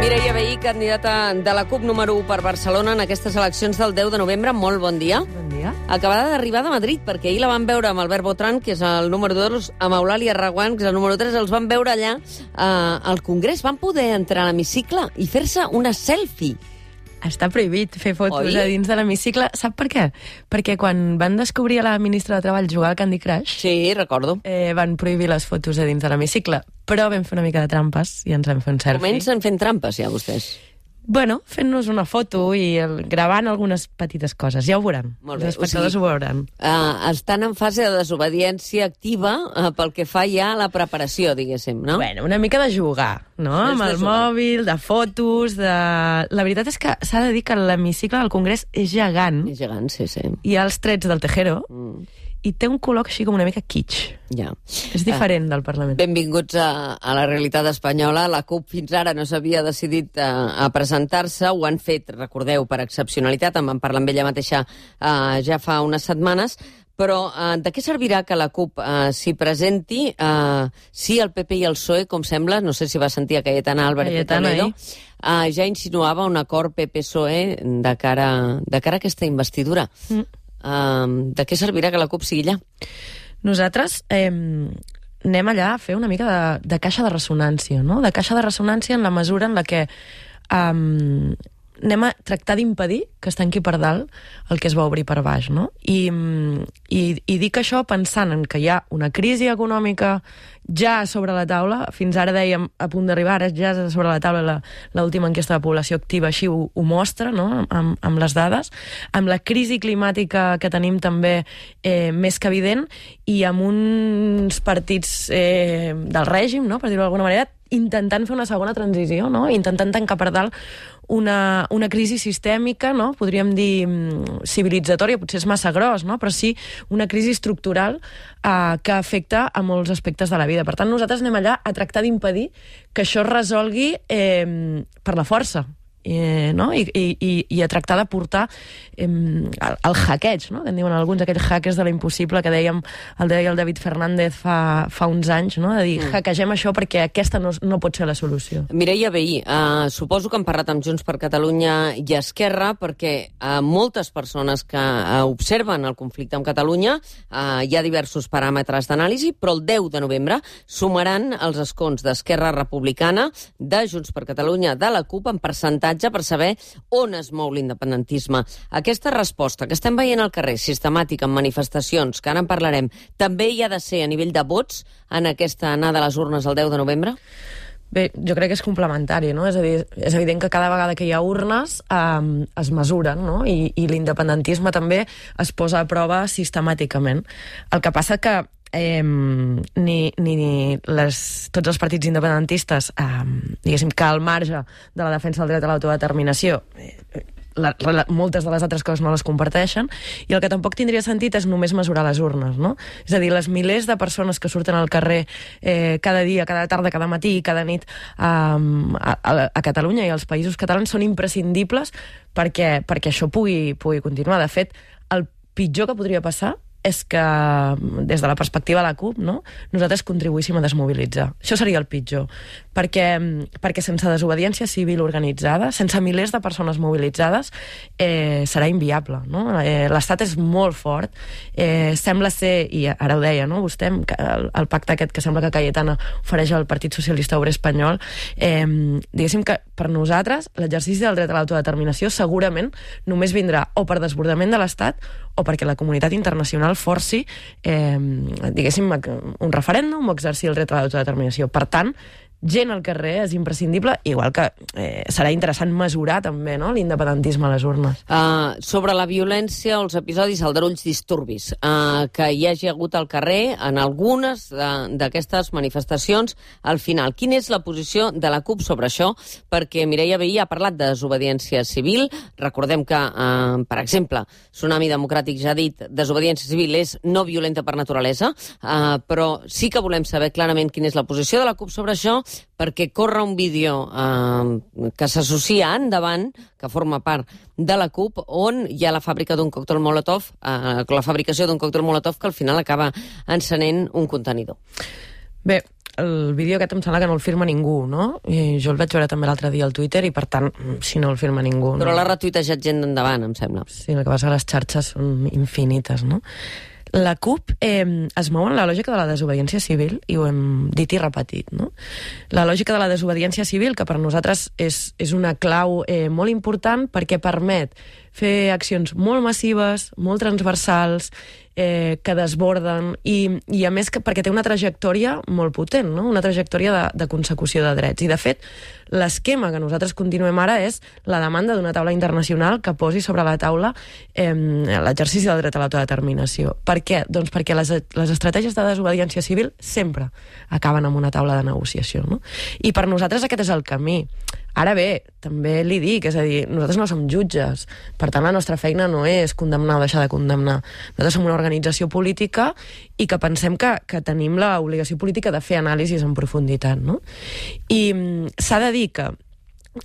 Mireia Vehí, candidata de la CUP número 1 per Barcelona en aquestes eleccions del 10 de novembre. Molt bon dia. Bon dia. Acabada d'arribar de Madrid, perquè ahir la van veure amb Albert Botran, que és el número 2, amb Eulàlia Reguant, que és el número 3. Els van veure allà al Congrés. Van poder entrar a l'hemicicle i fer-se una selfie. Està prohibit fer fotos Oi? a dins de l'hemicicle. Sap per què? Perquè quan van descobrir a la ministra de Treball jugar al Candy Crush, Sí, recordo. van prohibir les fotos a dins de l'hemicicle. Però vam fer una mica de trampes i ens vam fer un selfie. Comencen fent trampes, ja, vostès. Bueno, fent-nos una foto i gravant algunes petites coses. Ja ho veuran. Molt bé. Els espectadors ho veuran. Estan en fase de desobediència activa pel que fa ja a la preparació, diguéssim, no? Bueno, una mica de jugar, no? És Amb de el jugar. mòbil, de fotos, de... La veritat és que s'ha de dir que l'hemicicle del Congrés és gegant. És gegant, sí. Hi ha els trets del Tejero Mm, i té un color així com una mica kitsch. ja. És diferent del Parlament. Benvinguts a la realitat espanyola. La CUP fins ara no s'havia decidit a presentar-se. Ho han fet, recordeu, per excepcionalitat. En vam parlar amb ella mateixa ja fa unes setmanes. Però de què servirà que la CUP s'hi presenti si el PP i el PSOE, com sembla, no sé si va sentir a Cayetana Álvarez de Cayetana, Toledo, ja insinuava un acord PP-PSOE de cara a aquesta investidura. De què servirà que la CUP sigui allà? Nosaltres anem allà a fer una mica de caixa de ressonància, no? De caixa de ressonància en la mesura en la que anem a tractar d'impedir que es tanqui per dalt el que es va obrir per baix, no? I dic això pensant en que hi ha una crisi econòmica ja sobre la taula. Fins ara dèiem a punt d'arribar, ara ja és sobre la taula l'última enquesta de població activa, així ho mostra, no? Amb les dades, amb la crisi climàtica que tenim també més que evident, i amb uns partits del règim, no? Per dir-ho d'alguna manera, intentant fer una segona transició, no? Intentant tancar per dalt una crisi sistèmica, no? Podríem dir civilitzatòria, potser és massa gros, no? Però sí una crisi estructural que afecta a molts aspectes de la vida. Per tant, nosaltres anem allà a tractar d'impedir que això es resolgui per la força, no? I a tractar de portar el hackeig, no? Que en diuen alguns, aquells hackers de l'impossible que el deia el David Fernández fa uns anys, no? De dir, hackegem això perquè aquesta no pot ser la solució. Mireia Vehí, suposo que han parlat amb Junts per Catalunya i Esquerra, perquè moltes persones que observen el conflicte amb Catalunya hi ha diversos paràmetres d'anàlisi, però el 10 de novembre sumaran els escons d'Esquerra Republicana, de Junts per Catalunya, de la CUP, en percentatge per saber on es mou l'independentisme. Aquesta resposta que estem veient al carrer, sistemàtica, en manifestacions, que ara en parlarem, també hi ha de ser a nivell de vots en aquesta anada a les urnes el 10 de novembre? Bé, jo crec que és complementari, no? És a dir, és evident que cada vegada que hi ha urnes es mesuren, no? I l'independentisme també es posa a prova sistemàticament. El que passa que tots els partits independentistes, diguéssim que al marge de la defensa del dret a l'autodeterminació, moltes de les altres coses no les comparteixen, i el que tampoc tindria sentit és només mesurar les urnes, no? És a dir, les milers de persones que surten al carrer cada dia, cada tarda, cada matí i cada nit a Catalunya i als països catalans són imprescindibles perquè això pugui continuar. De fet, el pitjor que podria passar és que, des de la perspectiva de la CUP, no? Nosaltres contribuíssim a desmobilitzar. Això seria el pitjor, perquè sense desobediència civil organitzada, sense milers de persones mobilitzades, serà inviable, no? L'Estat és molt fort, sembla ser, i ara ho deia, no? Vostè, el pacte aquest que sembla que Cayetana ofereix al Partit Socialista Obrer Espanyol, diguéssim que per nosaltres l'exercici del dret a l'autodeterminació segurament només vindrà o per desbordament de l'Estat o perquè la comunitat internacional forci, diguéssim, un referèndum o exercir el dret a l'autodeterminació. Per tant, gent al carrer és imprescindible, igual que serà interessant mesurar també, no?, l'independentisme a les urnes. Sobre la violència o els episodis aldarulls disturbis que hi hagi hagut al carrer en algunes d'aquestes manifestacions, al final, quina és la posició de la CUP sobre això? Perquè Mireia Vehí ha parlat de desobediència civil. Recordem que, per exemple, Tsunami Democràtic ja ha dit desobediència civil és no violenta per naturalesa, però sí que volem saber clarament quina és la posició de la CUP sobre això, perquè corre un vídeo que s'associa endavant, que forma part de la CUP, on hi ha la fàbrica d'un còctel Molotov, la fabricació d'un còctel Molotov que al final acaba encenent un contenidor. Bé, el vídeo aquest em sembla que no el firma ningú, no? I jo el vaig veure també l'altre dia al Twitter i, per tant, si no el firma ningú... Però no. l'ha retuitejat gent d'endavant, em sembla. Sí, el que passa que les xarxes són infinites, no? La CUP es mou en la lògica de la desobediència civil, i ho hem dit i repetit, no? La lògica de la desobediència civil, que per nosaltres és una clau molt important perquè permet fer accions molt massives, molt transversals, que desborden, i a més perquè té una trajectòria molt potent, no? Una trajectòria de consecució de drets. I, de fet, l'esquema que nosaltres continuem ara és la demanda d'una taula internacional que posi sobre la taula l'exercici del dret a l'autodeterminació. Per què? Doncs perquè les estratègies de desobediència civil sempre acaben amb una taula de negociació, no? I per nosaltres aquest és el camí. Ara bé, també li dic, és a dir, nosaltres no som jutges, per tant la nostra feina no és condemnar o deixar de condemnar. Nosaltres som una organització política i que pensem que tenim l'obligació política de fer anàlisis en profunditat, no? I s'ha de dir que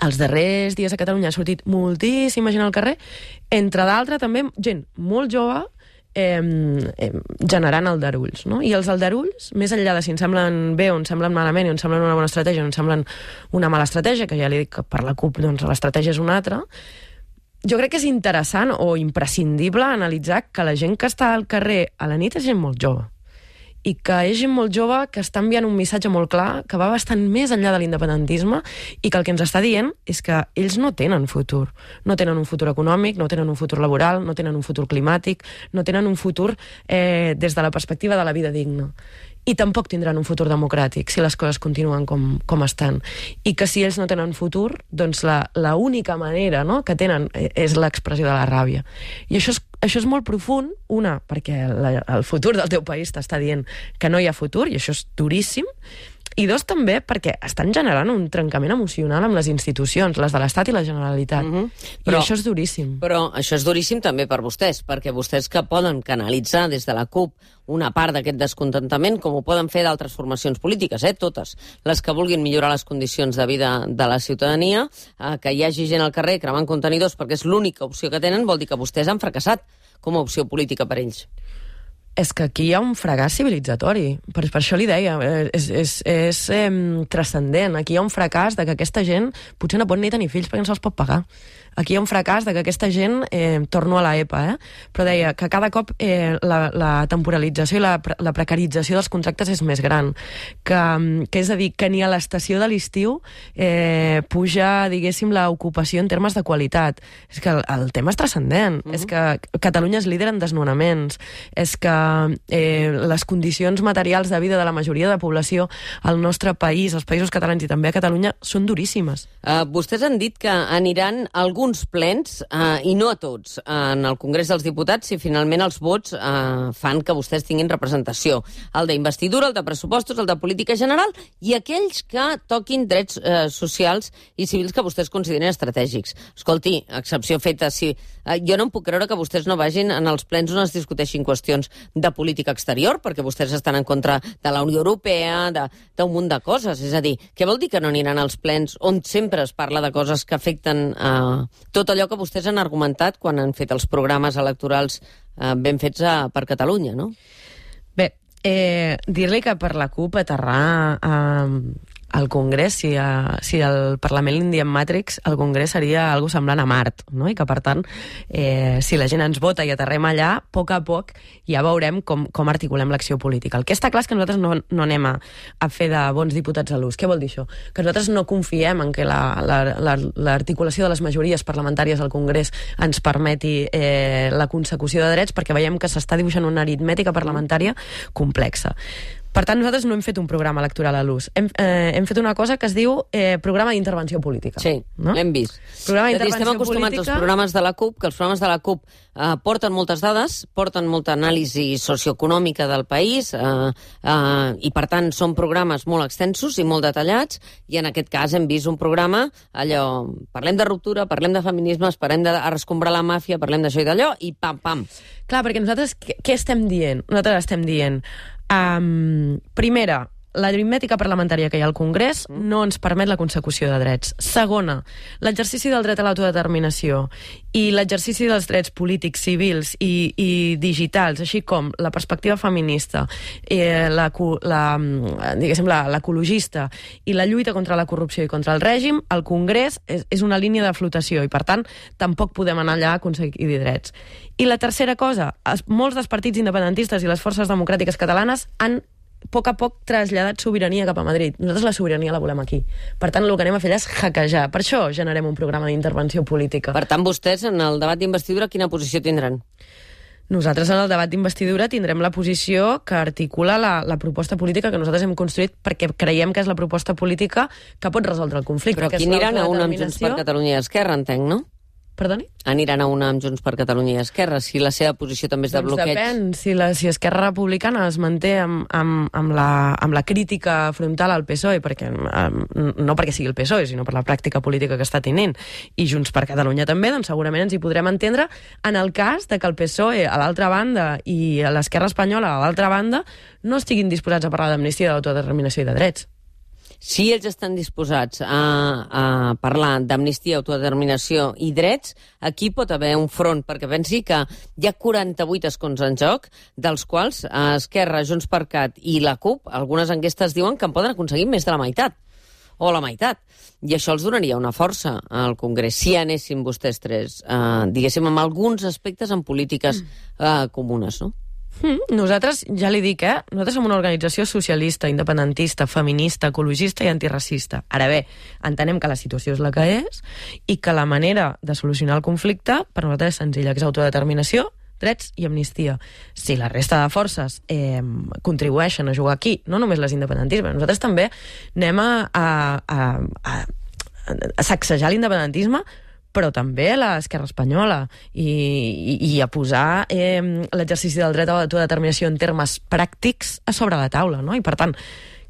els darrers dies a Catalunya ha sortit moltíssima gent al carrer, entre d'altres també gent molt jove, generant aldarulls, no? I els aldarulls, més enllà de si ens semblen bé o ens semblen malament, o ens semblen una bona estratègia o ens semblen una mala estratègia, que ja li dic que per la CUP doncs, l'estratègia és una altra, jo crec que és interessant o imprescindible analitzar que la gent que està al carrer a la nit és gent molt jove, i que és gent molt jove que està enviant un missatge molt clar, que va bastant més enllà de l'independentisme, i que el que ens està dient és que ells no tenen futur. No tenen un futur econòmic, no tenen un futur laboral, no tenen un futur climàtic, no tenen un futur des de la perspectiva de la vida digna. I tampoc tindran un futur democràtic si les coses continuen com estan. I que si ells no tenen futur, doncs la única manera, no, que tenen és l'expressió de la ràbia. I això és molt profund, una, perquè el futur del teu país t'està dient que no hi ha futur, i això és duríssim, i dos, també, perquè estan generant un trencament emocional amb les institucions, les de l'Estat i la Generalitat. I això és duríssim. Però això és duríssim també per vostès, perquè vostès que poden canalitzar des de la CUP una part d'aquest descontentament, com ho poden fer d'altres formacions polítiques, totes, les que vulguin millorar les condicions de vida de la ciutadania, que hi hagi gent al carrer cremant contenidors perquè és l'única opció que tenen, vol dir que vostès han fracassat com a opció política per ells. És que aquí hi ha un fracàs civilitzatori. Per això li deia, és transcendent. Aquí hi ha un fracàs de que aquesta gent potser no pot ni tenir fills perquè no se'ls pot pagar. Aquí hi ha un fracàs de que aquesta gent, torno a l'EPA, però deia que cada cop la temporalització i la precarització dels contractes és més gran. Que és a dir, que ni a l'estació de l'estiu puja, diguéssim, l'ocupació en termes de qualitat. És que el tema és transcendent. És que Catalunya és líder en desnonaments. És que les condicions materials de vida de la majoria de la població al nostre país, als països catalans i també a Catalunya, són duríssimes. Vostès han dit que aniran alguns plens, i no a tots, en el Congrés dels Diputats, si finalment els vots fan que vostès tinguin representació. El d'investidura, el de pressupostos, el de política general, i aquells que toquin drets socials i civils que vostès consideren estratègics. Escolti, excepció feta, sí. Jo no em puc creure que vostès no vagin en els plens on es discuteixin qüestions de política exterior, perquè vostès estan en contra de la Unió Europea, d'un munt de coses. És a dir, què vol dir que no aniran als plens on sempre es parla de coses que afecten tot allò que vostès han argumentat quan han fet els programes electorals ben fets per Catalunya, no? Bé, dir-li que per la CUP aterrar al Congrés, si el Parlament l'Indian Matrix, el Congrés seria algo semblant a Mart, no? I que, per tant, si la gent ens vota i aterrem allà, a poc ja veurem com articulem l'acció política. El que està clar és que nosaltres no anem a fer de bons diputats a l'ús. Què vol dir això? Que nosaltres no confiem en que l'articulació de les majories parlamentàries al Congrés ens permeti la consecució de drets, perquè veiem que s'està dibuixant una aritmètica parlamentària complexa. Per tant, nosaltres no hem fet un programa electoral a l'ús. Hem fet una cosa que es diu programa d'intervenció política. Sí, no? L'hem vist. Programa d'intervenció estem acostumats als programes de la CUP, que els programes de la CUP porten moltes dades, porten molta anàlisi socioeconòmica del país, i per tant són programes molt extensos i molt detallats, i en aquest cas hem vist un programa, allò, parlem de ruptura, parlem de feminismes, parlem de rescombrar la màfia, parlem d'això i d'allò, i pam. Clar, perquè nosaltres què estem dient? Nosaltres estem dient primera, l'aritmètica parlamentària que hi ha al Congrés no ens permet la consecució de drets. Segona, l'exercici del dret a l'autodeterminació i l'exercici dels drets polítics, civils i digitals, així com la perspectiva feminista, l'ecologista i la lluita contra la corrupció i contra el règim, el Congrés és una línia de flotació i, per tant, tampoc podem anar allà a aconseguir drets. I la tercera cosa, molts dels partits independentistes i les forces democràtiques catalanes han a poc traslladat sobirania cap a Madrid. Nosaltres la sobirania la volem aquí. Per tant, el que anem a fer és hackejar. Per això generem un programa d'intervenció política. Per tant, vostès, en el debat d'investidura, quina posició tindran? Nosaltres, en el debat d'investidura, tindrem la posició que articula la proposta política que nosaltres hem construït perquè creiem que és la proposta política que pot resoldre el conflicte. Però aquí aniran a una amb Junts per Catalunya i Esquerra, entenc, no? Perdoni? Aniran a una amb Junts per Catalunya i Esquerra, si la seva posició també és de bloqueig. Depèn, si Esquerra Republicana es manté amb la crítica frontal al PSOE, no perquè sigui el PSOE, sinó per la pràctica política que està tenint, i Junts per Catalunya també, doncs segurament ens hi podrem entendre en el cas de que el PSOE a l'altra banda i l'Esquerra Espanyola a l'altra banda no estiguin disposats a parlar d'amnistia, d'autodeterminació i de drets. Si ells estan disposats a parlar d'amnistia, autodeterminació i drets, aquí pot haver un front, perquè pensi que hi ha 48 escons en joc, dels quals Esquerra, Junts per Cat i la CUP, algunes enquestes diuen que en poden aconseguir més de la meitat, o la meitat. I això els donaria una força al Congrés, si anessin vostès tres, diguéssim, amb alguns aspectes en polítiques comunes, no? Nosaltres, ja li dic, nosaltres som una organització socialista, independentista, feminista, ecologista i antiracista. Ara bé, entenem que la situació és la que és i que la manera de solucionar el conflicte per nosaltres és senzilla, que és autodeterminació, drets i amnistia. Si la resta de forces contribueixen a jugar aquí, no només les independentismes, nosaltres també anem a sacsejar l'independentisme, però també l'esquerra espanyola i a posar l'exercici del dret a l'autodeterminació en termes pràctics a sobre la taula, no? I per tant,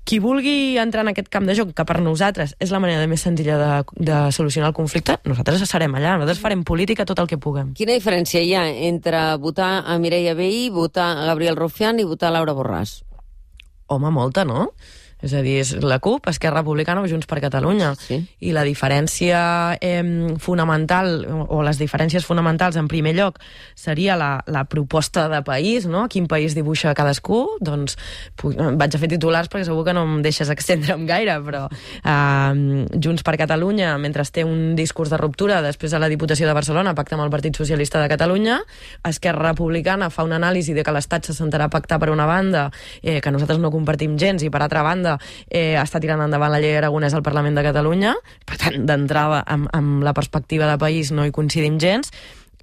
qui vulgui entrar en aquest camp de joc, que per nosaltres és la manera més senzilla de solucionar el conflicte, nosaltres serem allà, nosaltres farem política tot el que puguem. Quina diferència hi ha entre votar a Mireia Vehí, votar a Gabriel Rufián i votar a Laura Borràs? Home, molta, no? És a dir, és la CUP, Esquerra Republicana o Junts per Catalunya. Sí. I la diferència fonamental, o les diferències fonamentals, en primer lloc, seria la proposta de país, no? Quin país dibuixa cadascú? Doncs vaig a fer titulars perquè segur que no em deixes extendre'm gaire, però Junts per Catalunya, mentre té un discurs de ruptura després de la Diputació de Barcelona, pacta amb el Partit Socialista de Catalunya, Esquerra Republicana fa una anàlisi de que l'Estat se sentarà a pactar per una banda, que nosaltres no compartim gens, i per altra banda està tirant endavant la llei Aragonès al Parlament de Catalunya. Per tant, d'entrada, amb la perspectiva de país no hi coincidim gens.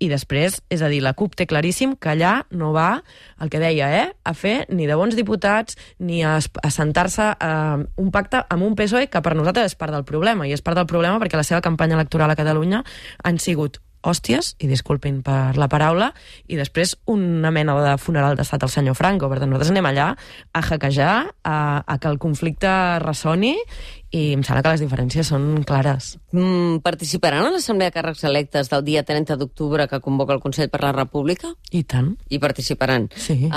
I després, és a dir, la CUP té claríssim que allà no va, el que deia, a fer ni de bons diputats ni a sentar-se a un pacte amb un PSOE que per nosaltres és part del problema, i és part del problema perquè la seva campanya electoral a Catalunya han sigut hòsties, i disculpin per la paraula, i després una mena de funeral d'estat al senyor Franco. Per tant, nosaltres anem allà a hackejar, a que el conflicte ressoni, i em sembla que les diferències són clares. Participaran a l'Assemblea de Càrrecs Electes del dia 30 d'octubre que convoca el Consell per la República? I tant. I participaran. Sí.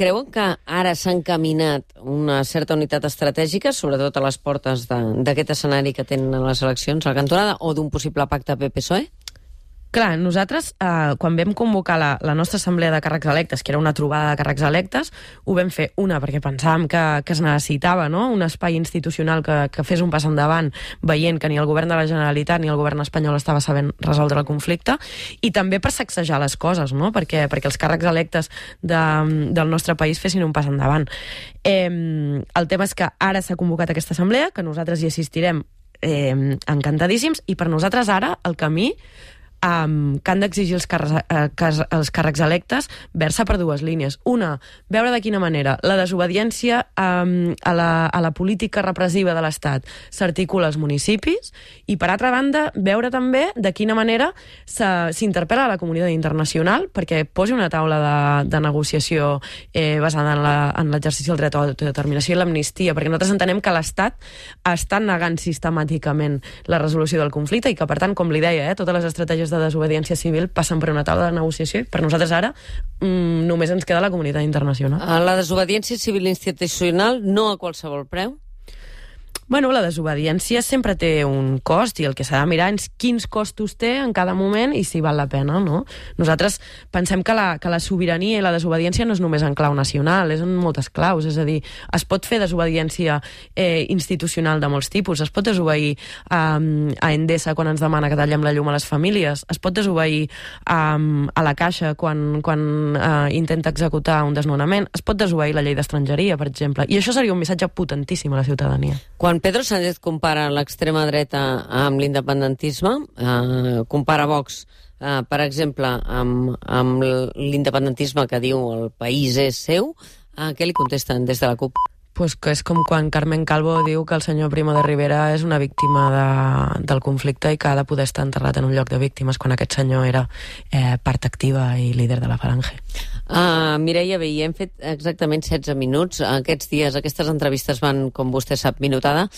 Creuen que ara s'ha encaminat una certa unitat estratègica, sobretot a les portes d'aquest escenari que tenen les eleccions a la cantonada, o d'un possible pacte PP-PSOE? Clar, nosaltres, quan vam convocar la nostra assemblea de càrrecs electes, que era una trobada de càrrecs electes, ho vam fer, perquè pensàvem que es necessitava, no?, un espai institucional que fes un pas endavant, veient que ni el govern de la Generalitat ni el govern espanyol estava sabent resoldre el conflicte, i també per sacsejar les coses, no?, perquè els càrrecs electes del nostre país fessin un pas endavant. El tema és que ara s'ha convocat aquesta assemblea, que nosaltres hi assistirem encantadíssims, i per nosaltres ara el camí que han d'exigir els càrrecs electes versa per dues línies. Una, veure de quina manera la desobediència a la política repressiva de l'Estat s'articula als municipis, i per altra banda, veure també de quina manera s'interpel·la a la comunitat internacional perquè posi una taula de negociació basada en l'exercici del dret a l'autodeterminació i l'amnistia, perquè nosaltres entenem que l'Estat està negant sistemàticament la resolució del conflicte i que, per tant, com li deia, totes les estratègies denúncies de desobediència civil passen per una taula de negociació. Per nosaltres ara només ens queda la comunitat internacional. La desobediència civil institucional no a qualsevol preu? Bueno, la desobediència sempre té un cost i el que s'ha de mirar és quins costos té en cada moment i si val la pena, no? Nosaltres pensem que la sobirania i la desobediència no és només en clau nacional, és en moltes claus, és a dir, es pot fer desobediència institucional de molts tipus, es pot desobeir a Endesa quan ens demana que tallem la llum a les famílies, es pot desobeir a la Caixa quan intenta executar un desnonament, es pot desobeir la llei d'estrangeria, per exemple, i això seria un missatge potentíssim a la ciutadania. Quan Pedro Sánchez compara l'extrema dreta amb l'independentisme, compara Vox, per exemple, amb l'independentisme que diu el país és seu, què li contesten des de la CUP? Pues que és com quan Carmen Calvo diu que el senyor Primo de Rivera és una víctima del conflicte i que ha de poder estar enterrat en un lloc de víctimes quan aquest senyor era part activa i líder de la Falange. Mireia Vehí, hem fet exactament 16 minuts. Aquests dies, aquestes entrevistes van, com vostè sap, minutada,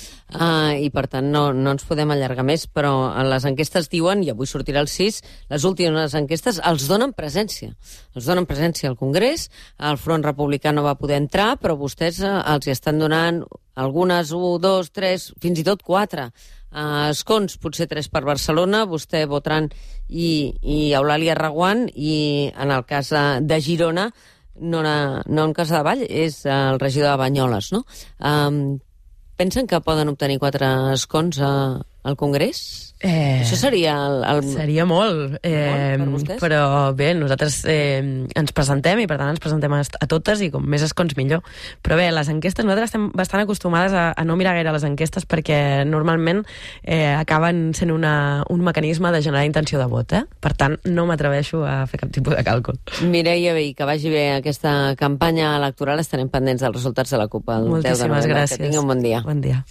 i per tant no ens podem allargar més, però les enquestes diuen, i avui sortirà el 6, les últimes enquestes els donen presència. Els donen presència al Congrés, el Front Republicà no va poder entrar, però vostès els hi estan donant algunes 1, 2, 3, fins i tot 4 escons, potser 3 per Barcelona, vostè Botran i Eulàlia Reguant, i en el cas de Girona, no en Casadevall, és el regidor de Banyoles, no? Pensen que poden obtenir 4 escons al Congrés? Això seria Seria molt, per vostès? però bé, nosaltres ens presentem i per tant ens presentem a totes i com més escons millor. Però bé, les enquestes, nosaltres estem bastant acostumades a no mirar gaire les enquestes perquè normalment acaben sent un mecanisme de generar intenció de vot, Per tant, no m'atreveixo a fer cap tipus de càlcul. Mireia Vehí, que vagi bé aquesta campanya electoral, estarem pendents dels resultats de la CUP el 10 de novembre. Moltíssimes gràcies. Que tingui un bon dia. Bon dia.